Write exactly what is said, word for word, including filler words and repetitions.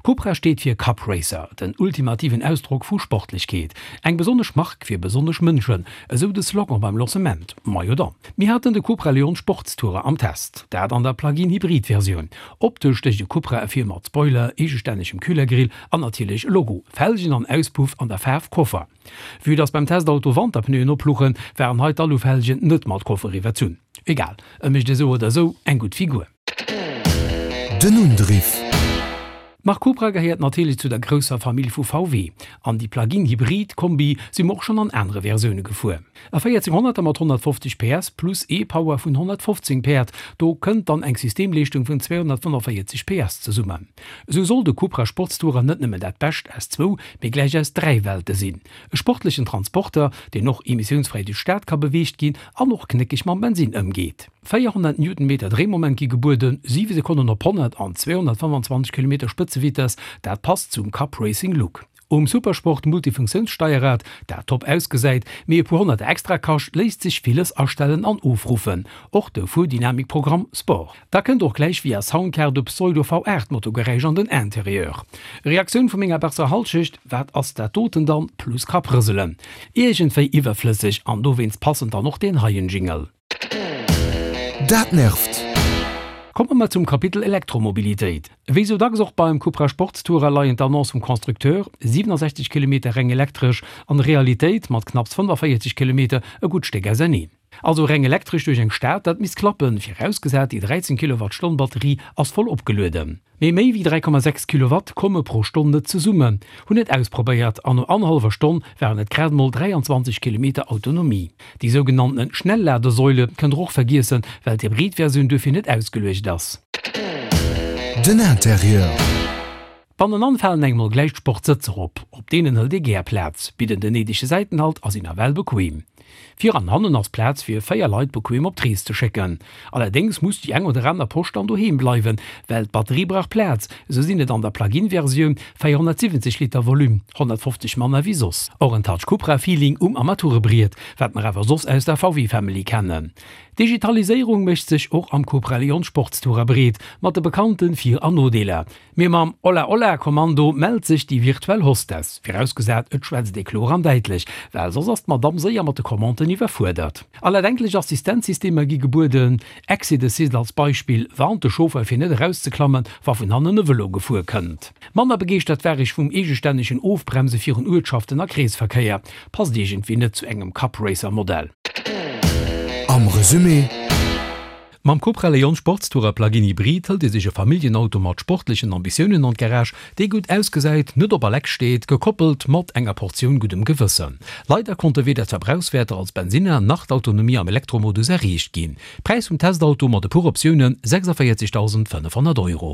Cupra steet fir Cup Racer, den ultimativen Ausdrock vu Sportlechkeet. Eng besonnesch Mark fir besonnesch Mënschen, esou de Slogan beim Lancement. Majo dann. Mir haten de Cupra Leon Sportstourer am Test, dat an der Plug-in-Hybrid-Versioun. Optesch stécht de Cupra ervir mat Spoiler, eegestännegem Kühlergrill an natierlech Logo, Felgen an Auspuff an der Faarf Koffer. Vue dass beim Testauto Wanterpneuen oplouchen, waren hei d'Alufelgen net mat Koffer iwwerzunn. Egal, e mécht esou oder esou eng gutt Figur. Den Undriff. D'Mark Cupra gehéiert natierlech zu der grousser Famill vu V W. An déi Plug-in-Hybrid-Kombi si mer och schonn an anere Versioune gefuer. E véierzénghonnerter mat honnertfofzeg P S plus e-Power vun honnertfofzéng Päerd, do kënnt dann eng Systemleeschtung vun zweehonnertfënnefvéierzeg P S zesummen. Esou soll de Cupra Sportstourer net nëmmen dat Bescht aus zwou, mee gläich aus dräi Welte sinn. E sportlechen Transporter, deen och emissiounsfräi duerch d'Stad ka beweegt ginn an och knéckeg mam Bensinn ëmgeet. véierhonnert Newtonmeter Dréimoment gi gebueden, siwe Sekonnen op honnert an zweehonnertfënnefanzwanzeg Kilometer Spëtzevitess, dat passt zum Cup Racing Look. Um Supersport Multifunktiounssteierrad, dat top ausgesäit, mee e puer honnert extra kascht, léisst sech villes astellen an ofruffen, och de Fuerdynamikprogramm Sport. Da kënnt och gläich via Soundcard e Pseudo V aacht Motorgeräisch an den Interieur. Reaktioun vu menger besser Hallschecht, Wat ass dat doten dann? Plus Kapprëselen. Iergendwéi iwwerflësseg an dowéinst passend dann och deen heien Jingle. Dat nervt! Komme mer zum Kapitel Elektromobilitéit. Wéi sou dacks och beim Cupra Sportstourer leien d'Annonce vum Constructeur, siwenasechzeg Kilometer reng elektresch, an Realitéit mat knapps fënnefavéierzeg Kilometer e gutt Stéck auserneen. Also reng elektresch duerch eng Stad, dat misst klappen, virausgesat déi dräizéng Kilowattstonn Batterie ass voll opgelueden. Mee méi wéi dräi Komma sechs Kilowatt komme pro Stonn net zesummen. Hunn et ausprobéiert an no annerhallwer Stonn waren et grad mol dräianzwanzeg Kilometer Autonomie. Déi sougenannten Schnellladesäule kënnt der och vergiessen, well d'Hybrid-Versioun duerfir net ausgeluecht ass. Den Interieur. Bannenan falen engem mol gläich d'Sportsëtzer op. Op deenen hëlt ee gär Plaz, bidden den néidege Säitenhalt a sinn nawell bequem. Vir an hannen ass Plaz fir véier Leit bequem op d'Rees ze schécken. Allerdéngs muss déi eng oder aner Posch dann doheem bleiwen, well d'Batterie brauch Plaz. Esou sinn et an der Plug-in-Versioun véierhonnertsiwwenzeg Liter Volume, honnertfofzeg manner wéi soss. Och en Touch Cupra-Feeling um Armaturebriet, wat mer awer soss aus der V W-Family kennen. D'Digitaliséierung mécht sech och am Cupra Leon Sportstourer breet, mat de bekannte Vir an Nodeeler. Mee mam Hola Hola Kommando mellt sech déi virtuell Hostess, virausgesat et schwätzt ee kloer an däitlech, well soss ass d'Madamm séier mat de Commanden iwwerfuerdert. All erdenklech Assistenzsystemer gi gebueden, Exit Assist als Beispill warnt de Chauffer fir net erauszeklammen, wa vun hannen e Vëlo gefuer kënnt. Manner begeeschtert war ech vum eegestännegen Ofbremse virun Uertschaften a Kreesverkéier. Passt iergendwéi net zu engem Cup Racer Modell. Am Resumé. Mam Cupra Leon Sportstourer Plug-in Hybrid hëlt ee sech e Familljenauto mat sportlechen Ambitiounen an d'Garage, dee gutt ausgesäit, net op a leck steet, gekoppelt mat enger Portioun guddem Gewëssen. Leider konnte weder d'Verbrauchswäerter als Bensinner nach d'Autonomie am Elektromodus erreecht ginn. Präis vum Testauto mat e puer Optiounen, sechsavéierzegdausendfënnefhonnert Euro.